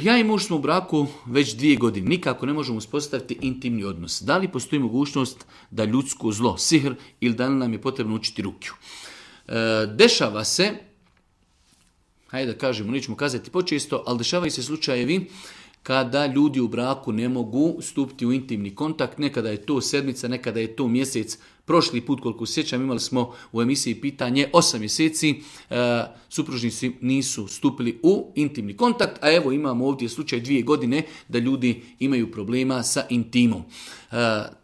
Ja i muž smo u braku već 2 godine. Nikako ne možemo uspostaviti intimni odnos. Da li postoji mogućnost da ljudsko zlo, sihr, ili da li nam je potrebno učiti rukiju? Dešava se, hajde da kažemo, nećemo kazati počesto, ali dešavaju se slučajevi kada ljudi u braku ne mogu stupiti u intimni kontakt. Nekada je to sedmica, nekada je to mjesec. Prošli put, koliko sjećam, imali smo u emisiji pitanje 8 mjeseci, supružnici nisu stupili u intimni kontakt, a evo imamo ovdje slučaj 2 godine da ljudi imaju problema sa intimom.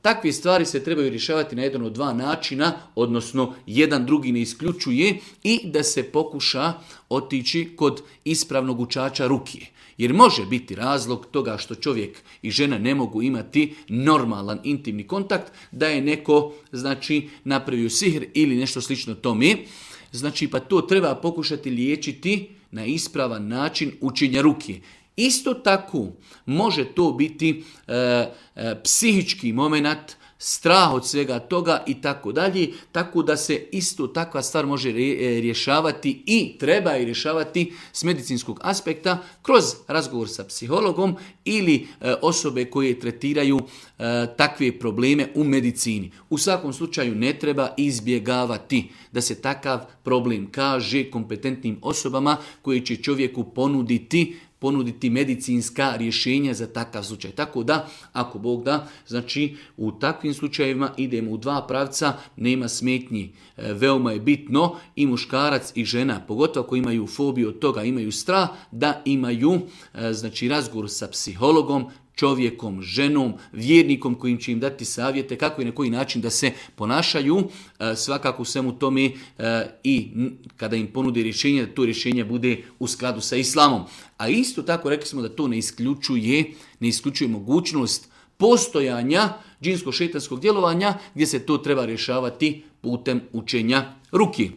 Takve stvari se trebaju rješavati na jedan od 2 načina, odnosno jedan drugi ne isključuje, i da se pokuša otići kod ispravnog učača rukije. Jer može biti razlog toga što čovjek i žena ne mogu imati normalan intimni kontakt, da je neko, napravio sihr ili nešto slično tome. Pa to treba pokušati liječiti na ispravan način učenja rukije. Isto tako može to biti psihički moment, strah od svega toga i tako dalje, tako da se isto takva stvar može rješavati i treba je rješavati s medicinskog aspekta kroz razgovor sa psihologom ili osobe koje tretiraju takve probleme u medicini. U svakom slučaju ne treba izbjegavati da se takav problem kaže kompetentnim osobama koji će čovjeku ponuditi medicinska rješenja za takav slučaj. Tako da, ako Bog da, u takvim slučajevima idemo u 2 pravca, nema smetnji. Veoma je bitno i muškarac i žena, pogotovo ako imaju fobiju od toga, imaju strah, da imaju razgovor sa psihologom, čovjekom, ženom, vjernikom kojim će im dati savjete kako i na koji način da se ponašaju, svakako u svemu tome i kada im ponude rješenje, da to rješenje bude u skladu sa islamom. A isto tako rekli smo da to ne isključuje mogućnost postojanja džinsko-šejtanskog djelovanja gdje se to treba rješavati putem učenja ruki.